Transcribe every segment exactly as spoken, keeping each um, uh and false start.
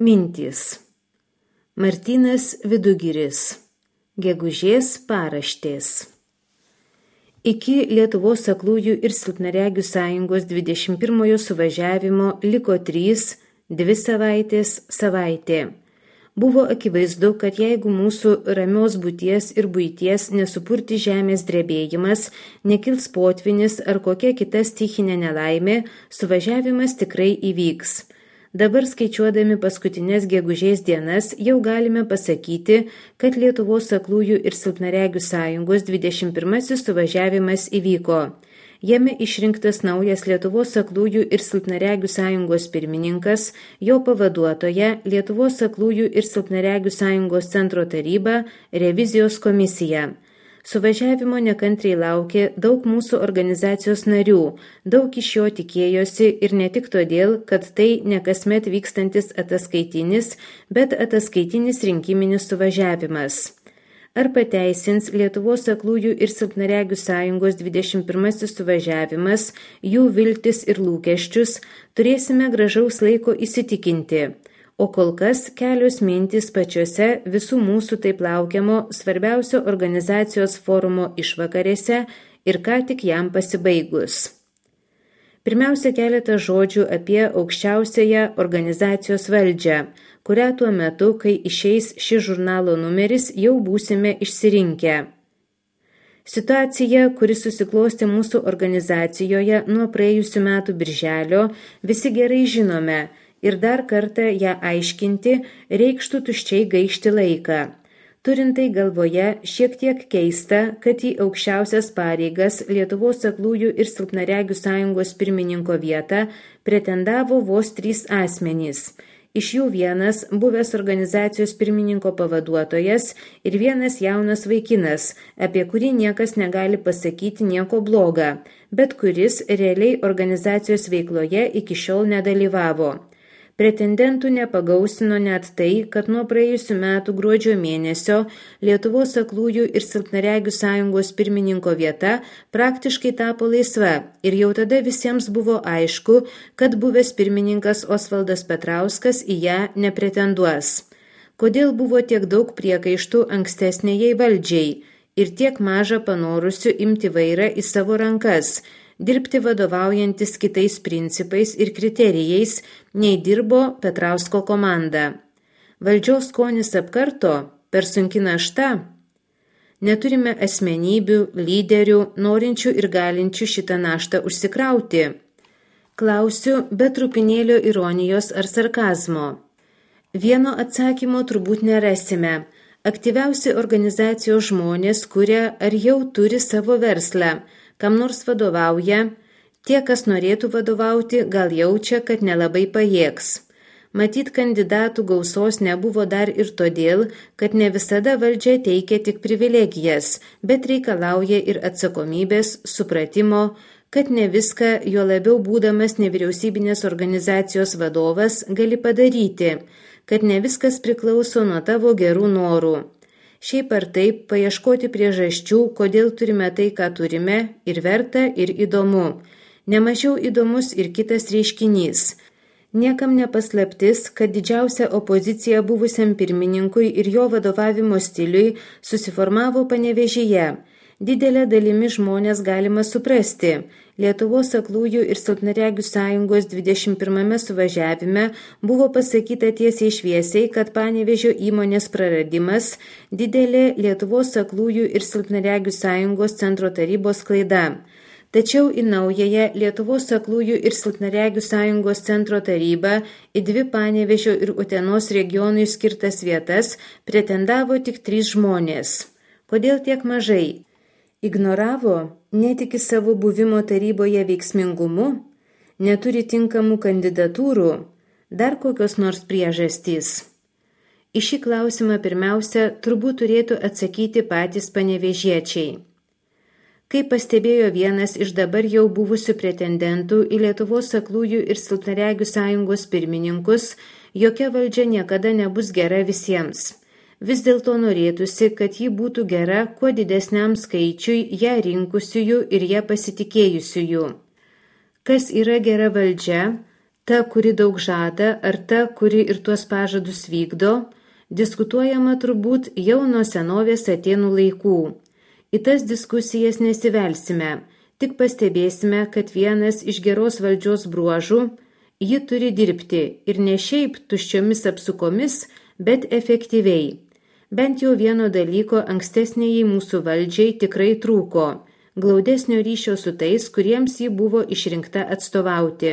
Mintys. Martynas Vidugiris. Gegužės paraštės. Iki Lietuvos aklųjų ir silpnaregių sąjungos dvidešimt pirmojo suvažiavimo liko trys, dvi savaitės, savaitė. Buvo akivaizdu, kad jeigu mūsų ramios būties ir buities nesupurti žemės drebėjimas, nekils potvynis ar kokia kita stichinė nelaimė, suvažiavimas tikrai įvyks. Dabar skaičiuodami paskutinės gegužės dienas jau galime pasakyti, kad Lietuvos aklųjų ir silpnaregių sąjungos dvidešimt pirmasis suvažiavimas įvyko. Jame išrinktas naujas Lietuvos aklųjų ir silpnaregių sąjungos pirmininkas, jo pavaduotoja Lietuvos aklųjų ir silpnaregių sąjungos centro taryba, revizijos komisija. Suvažiavimo nekantriai laukė daug mūsų organizacijos narių, daug iš jo tikėjosi ir ne tik todėl, kad tai ne kasmet vykstantis ataskaitinis, bet ataskaitinis rinkiminis suvažiavimas. Ar pateisins Lietuvos aklųjų ir silpnaregių sąjungos dvidešimt pirmasis suvažiavimas jų viltis ir lūkesčius, turėsime gražaus laiko įsitikinti. O kol kas kelios mintys pačiose visų mūsų taip laukiamo svarbiausio organizacijos forumo išvakarėse ir ką tik jam pasibaigus. Pirmiausia, keletą žodžių apie aukščiausiąją organizacijos valdžią, kurią tuo metu, kai išeis šis žurnalo numeris, jau būsime išsirinkę. Situacija, kuri susiklostė mūsų organizacijoje nuo praėjusių metų birželio, visi gerai žinome. Ir dar kartą ją aiškinti reikštų tuščiai gaišti laiką. Turint tai galvoje, šiek tiek keista, kad į aukščiausias pareigas Lietuvos aklųjų ir silpnaregių sąjungos pirmininko vietą pretendavo vos trys asmenys. Iš jų vienas buvęs organizacijos pirmininko pavaduotojas ir vienas jaunas vaikinas, apie kurį niekas negali pasakyti nieko bloga, bet kuris realiai organizacijos veikloje iki šiol nedalyvavo. Pretendentų nepagausino net tai, kad nuo praėjusių metų gruodžio mėnesio Lietuvos aklųjų ir silpnaregių sąjungos pirmininko vieta praktiškai tapo laisva ir jau tada visiems buvo aišku, kad buvęs pirmininkas Osvaldas Petrauskas į ją nepretenduos. Kodėl buvo tiek daug priekaištų ankstesnėjai valdžiai ir tiek maža panorusių imti vairą į savo rankas, dirbti vadovaujantis kitais principais ir kriterijais, nei dirbo Petrausko komanda. Valdžios skonis apkarto, per sunki našta. Neturime asmenybių, lyderių, norinčių ir galinčių šitą naštą užsikrauti. Klausiu be trupinėlio ironijos ar sarkazmo. Vieno atsakymo turbūt nerasime. Aktyviausi organizacijos žmonės kuria ar jau turi savo verslą, kam nors vadovauja, tie, kas norėtų vadovauti, gal jaučia, kad nelabai pajėgs. Matyt, kandidatų gausos nebuvo dar ir todėl, kad ne visada valdžia teikia tik privilegijas, bet reikalauja ir atsakomybės, supratimo, kad ne viską, jo labiau būdamas nevyriausybinės organizacijos vadovas, gali padaryti, kad ne viskas priklauso nuo tavo gerų norų. Šiaip ar taip, paieškoti priežasčių, kodėl turime tai, ką turime, ir verta, ir įdomu. Nemažiau įdomus ir kitas reiškinys. Niekam nepaslaptis, kad didžiausia opozicija buvusiam pirmininkui ir jo vadovavimo stiliui susiformavo Panevėžyje. Didelė dalimi žmonės galima suprasti. Lietuvos aklųjų ir silpnaregių sąjungos dvidešimt pirmame suvažiavime buvo pasakyta tiesiai šviesiai, kad Panevėžio įmonės praradimas didelė Lietuvos aklųjų ir silpnaregių sąjungos centro tarybos klaida. Tačiau į naująją Lietuvos aklųjų ir silpnaregių sąjungos centro tarybą į dvi Panevėžio ir Utenos regionui skirtas vietas pretendavo tik trys žmonės. Kodėl tiek mažai? Ignoravo, netiki savo buvimo taryboje veiksmingumu, neturi tinkamų kandidatūrų, dar kokios nors priežastys. Į šį klausimą pirmiausia turbūt turėtų atsakyti patys panevėžiečiai. Kaip pastebėjo vienas iš dabar jau buvusių pretendentų į Lietuvos aklųjų ir silpnaregių sąjungos pirmininkus, jokia valdžia niekada nebus gera visiems. Vis dėlto norėtųsi, kad ji būtų gera kuo didesniam skaičiui ją rinkusiųjų ir ją pasitikėjusiųjų. Kas yra gera valdžia? Ta, kuri daug žada, ar ta, kuri ir tuos pažadus vykdo, diskutuojama turbūt jau nuo senovės Atėnų laikų. Į tas diskusijas nesivelsime, tik pastebėsime, kad vienas iš geros valdžios bruožų – ji turi dirbti ir ne šiaip tuščiomis apsukomis, bet efektyviai. Bent jau vieno dalyko ankstesniai mūsų valdžiai tikrai trūko – glaudesnio ryšio su tais, kuriems ji buvo išrinkta atstovauti.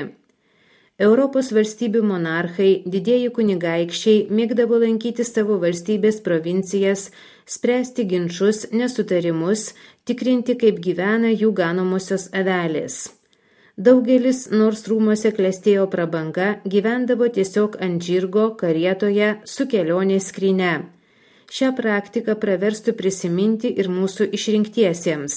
Europos valstybių monarchai, didieji kunigaikščiai mėgdavo lankyti savo valstybės provincijas, spręsti ginčus, nesutarimus, tikrinti, kaip gyvena jų ganomosios avelės. Daugelis, nors rūmose klestėjo prabanga, gyvendavo tiesiog ant žirgo, karietoje, su kelionės skryne. Šią praktiką praverstų prisiminti ir mūsų išrinktiesiems.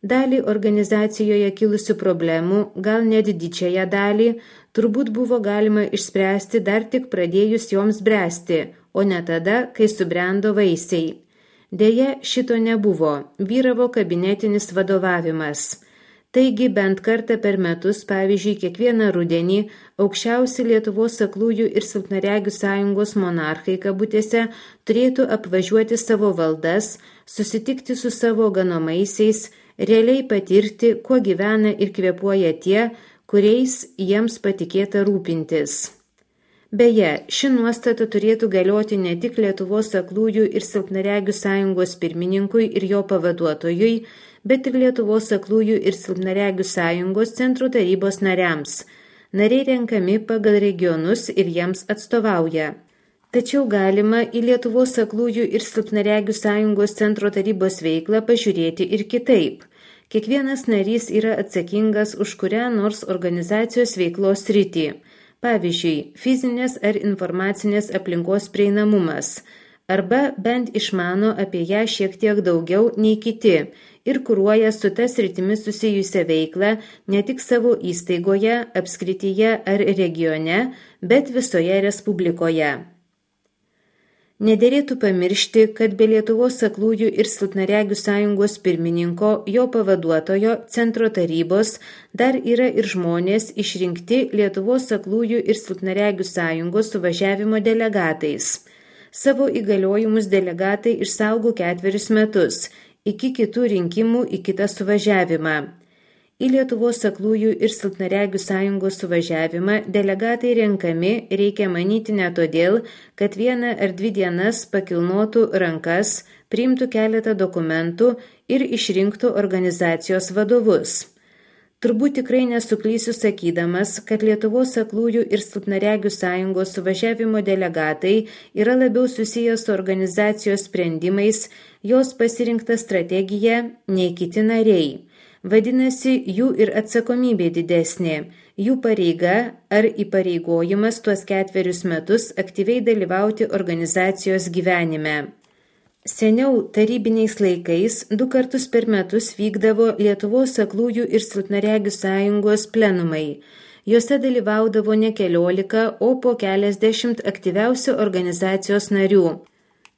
Dalį organizacijoje kilusių problemų, gal net didžiąją dalį, turbūt buvo galima išspręsti dar tik pradėjus joms bręsti, o ne tada, kai subrendo vaisiai. Deja, šito nebuvo, vyravo kabinetinis vadovavimas. Taigi bent kartą per metus, pavyzdžiui, kiekvieną rudenį, aukščiausi Lietuvos aklųjų ir silpnaregių sąjungos monarchai kabutėse turėtų apvažiuoti savo valdas, susitikti su savo ganomaisiais, realiai patirti, kuo gyvena ir kvėpuoja tie, kuriais jiems patikėta rūpintis. Beje, ši nuostata turėtų galioti ne tik Lietuvos aklųjų ir silpnaregių sąjungos pirmininkui ir jo pavaduotojui, bet ir Lietuvos aklųjų ir silpnaregių sąjungos centro tarybos nariams. Nariai renkami pagal regionus ir jiems atstovauja. Tačiau galima į Lietuvos aklųjų ir silpnaregių sąjungos centro tarybos veiklą pažiūrėti ir kitaip. Kiekvienas narys yra atsakingas už kurią nors organizacijos veiklos sritį. Pavyzdžiui, fizinės ar informacinės aplinkos prieinamumas, arba bent išmano apie ją šiek tiek daugiau nei kiti ir kuruoja su ta sritimi susijusią veiklą ne tik savo įstaigoje, apskrityje ar regione, bet visoje Respublikoje. Nederėtų pamiršti, kad be Lietuvos aklųjų ir silpnaregių sąjungos pirmininko, jo pavaduotojo, centro tarybos, dar yra ir žmonės išrinkti Lietuvos aklųjų ir silpnaregių sąjungos suvažiavimo delegatais. Savo įgaliojimus delegatai išsaugo ketverius metus, iki kitų rinkimų į kitą suvažiavimą. Į Lietuvos aklųjų ir silpnaregių sąjungos suvažiavimą delegatai renkami, reikia manyti ne todėl, kad vieną ar dvi dienas pakilnotų rankas, priimtų keletą dokumentų ir išrinktų organizacijos vadovus. Turbūt tikrai nesuklysiu sakydamas, kad Lietuvos aklųjų ir silpnaregių sąjungos suvažiavimo delegatai yra labiau susijęs su organizacijos sprendimais, jos pasirinkta strategija nei kiti nariai. Vadinasi, jų ir atsakomybė didesnė, jų pareiga ar įpareigojimas tuos ketverius metus aktyviai dalyvauti organizacijos gyvenime. Seniau tarybiniais laikais du kartus per metus vykdavo Lietuvos aklųjų ir silpnaregių sąjungos plenumai. Juose dalyvaudavo ne keliolika, o po keliasdešimt aktyviausių organizacijos narių.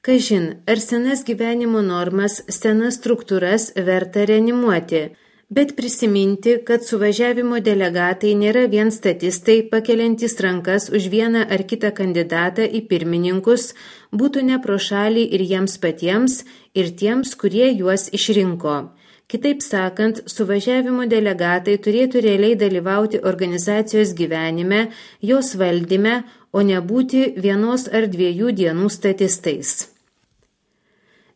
Kažin, ar senas gyvenimo normas, senas struktūras verta reanimuoti, bet prisiminti, kad suvažiavimo delegatai nėra vien statistai pakeliantys rankas už vieną ar kitą kandidatą į pirmininkus, būtų ne pro šalį ir jiems patiems, ir tiems, kurie juos išrinko. Kitaip sakant, suvažiavimo delegatai turėtų realiai dalyvauti organizacijos gyvenime, jos valdyme, o nebūti vienos ar dviejų dienų statistais.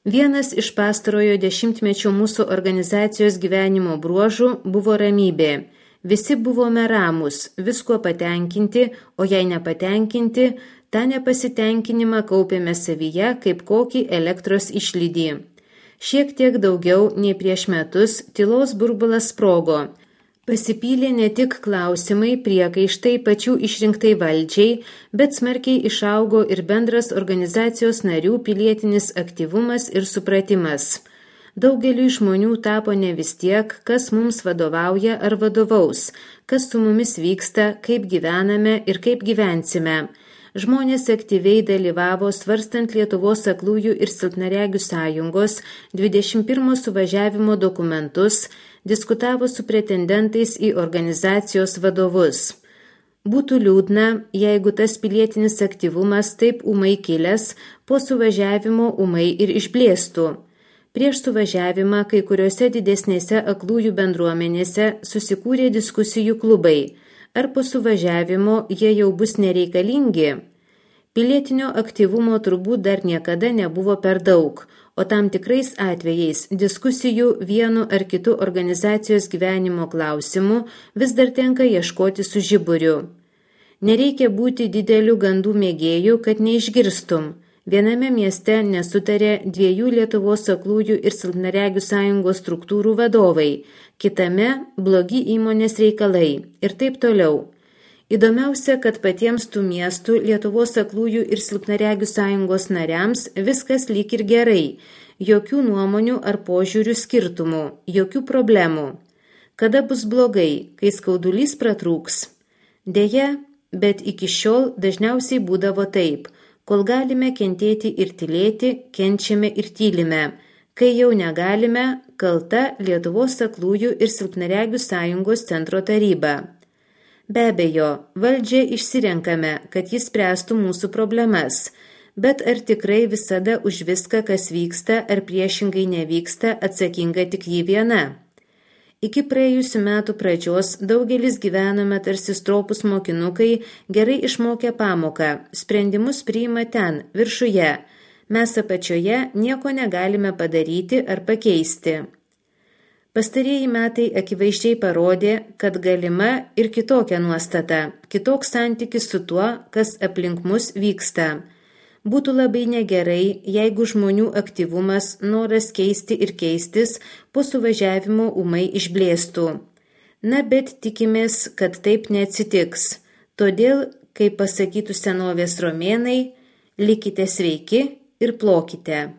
Vienas iš pastarojo dešimtmečio mūsų organizacijos gyvenimo bruožų buvo ramybė. Visi buvome ramūs, visko patenkinti, o jei nepatenkinti, tą nepasitenkinimą kaupėme savyje kaip kokį elektros išlydį. Šiek tiek daugiau nei prieš metus tylos burbulas sprogo. Pasipylė ne tik klausimai, priekaištai pačių išrinktai valdžiai, bet smarkiai išaugo ir bendras organizacijos narių pilietinis aktyvumas ir supratimas. Daugeliui žmonių tapo ne vis tiek, kas mums vadovauja ar vadovaus, kas su mumis vyksta, kaip gyvename ir kaip gyvensime. Žmonės aktyviai dalyvavo svarstant Lietuvos aklųjų ir silpnaregių sąjungos dvidešimt pirmo suvažiavimo dokumentus, diskutavo su pretendentais į organizacijos vadovus. Būtų liūdna, jeigu tas pilietinis aktyvumas taip ūmai kilęs, po suvažiavimo ūmai ir išblėstų. Prieš suvažiavimą kai kuriuose didesnėse aklųjų bendruomenėse susikūrė diskusijų klubai. Ar po suvažiavimo jie jau bus nereikalingi? Pilietinio aktyvumo turbūt dar niekada nebuvo per daug, o tam tikrais atvejais diskusijų vienu ar kitu organizacijos gyvenimo klausimu vis dar tenka ieškoti su žiburiu. Nereikia būti didelių gandų mėgėjų, kad neišgirstum. Viename mieste nesutarė dviejų Lietuvos aklųjų ir silpnaregių sąjungos struktūrų vadovai, kitame blogi įmonės reikalai ir taip toliau. Įdomiausia, kad patiems tų miestų Lietuvos aklųjų ir silpnaregių sąjungos nariams viskas lyg ir gerai, jokių nuomonių ar požiūrių skirtumų, jokių problemų. Kada bus blogai, kai skaudulys pratrūks? Deja, bet iki šiol dažniausiai būdavo taip. Kol galime kentėti ir tylėti, kenčiame ir tylime. Kai jau negalime, kalta Lietuvos aklųjų ir silpnaregių sąjungos centro taryba. Be abejo, valdžią išsirenkame, kad jis spręstų mūsų problemas, bet ar tikrai visada už viską, kas vyksta ar priešingai nevyksta, atsakinga tik ji viena? Iki praėjusių metų pradžios daugelis gyvenome tarsi stropus mokinukai, gerai išmokę pamoką, sprendimus priima ten, viršuje, mes apačioje nieko negalime padaryti ar pakeisti. Pastarieji metai akivaizdžiai parodė, kad galima ir kitokia nuostata, kitoks santykis su tuo, kas aplink mus vyksta. Būtų labai negerai, jeigu žmonių aktyvumas, noras keisti ir keistis po suvažiavimo ūmai išblėstų. Na, bet tikimės, kad taip neatsitiks. Todėl, kaip pasakytų senovės romėnai, likite sveiki ir plokite.